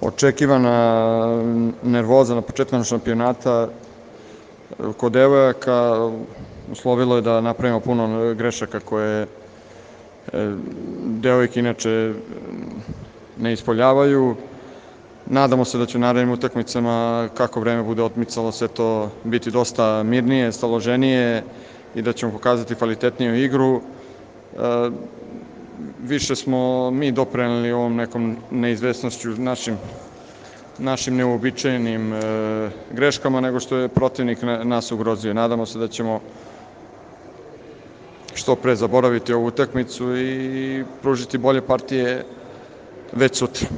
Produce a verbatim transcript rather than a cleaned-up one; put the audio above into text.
Očekivana nervoza na početku šampionata kod devojaka uslovilo je da napravimo puno grešaka koje devojke inače ne ispoljavaju. Nadamo se da će u narednim utakmicama, kako vreme bude odmicalo, sve to biti dosta mirnije, staloženije i da ćemo pokazati kvalitetniju igru. Više smo mi doprineli ovom nekom neizvesnošću, našim, našim neuobičajenim greškama, nego što je protivnik nas ugrozio. Nadamo se da ćemo što pre zaboraviti ovu utakmicu i pružiti bolje partije već sutra.